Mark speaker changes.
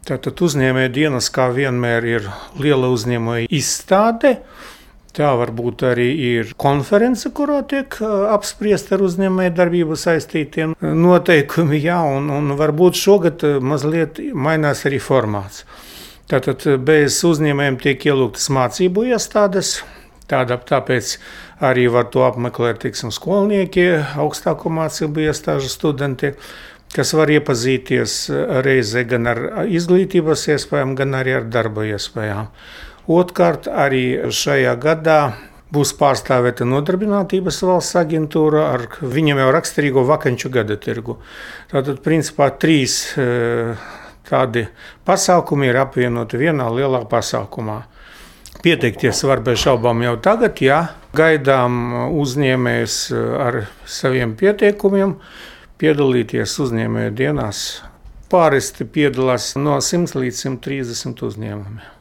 Speaker 1: Tātad uzņēmēju dienas, kā vienmēr, ir liela uzņēmēja izstāde. Tā varbūt arī ir konference, kurā tiek apspriest ar uzņēmēju darbību saistītiem noteikumi. Jā, un varbūt šogad mazliet mainās arī formāts. Tātad bez uzņēmējiem tiek ielūgtas mācību iestādes. Tāpēc arī var to apmeklēt skolnieki, augstāko mācību iestāžu studenti, kas var iepazīties reizē gan ar izglītības iespējām, gan arī ar darba iespējām. Otrkārt, arī šajā gadā būs pārstāvēta Nodarbinātības valsts aģentūra ar viņam jau raksturīgo vakanču gada tirgu. Tātad, principā, 3 tādi pasākumi ir apvienoti vienā lielā pasākumā. Pieteikties var bez šaubām jau tagad, ja gaidām uzņēmējus ar saviem pieteikumiem, piedalīties uzņēmēju dienās. Pāristi piedalās no 100 līdz 130 uzņēmumiem.